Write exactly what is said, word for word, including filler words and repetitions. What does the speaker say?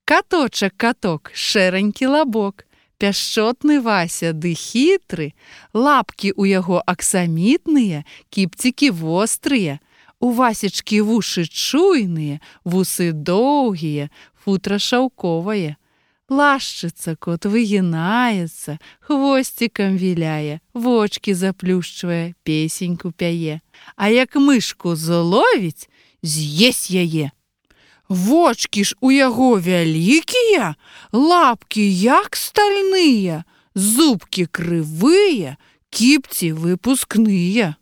Каточак каток, шэранькі лабок, пяшчотны Вася ды хітры, лапкі ў яго аксамітныя, кіпцікі вострыя, у Васечкі вушы чуйныя, вусы доўгія, футра шаўковае. Лашчыцца кот, выгінаецца, хвосцікам віляе, вочкі заплюшчвае, песеньку пяе. А як мышку зловіць, з'есть яе. Вочкі ж у яго вялікія, лапкі як стальныя, зубкі крывыя, кіпці выпускныя.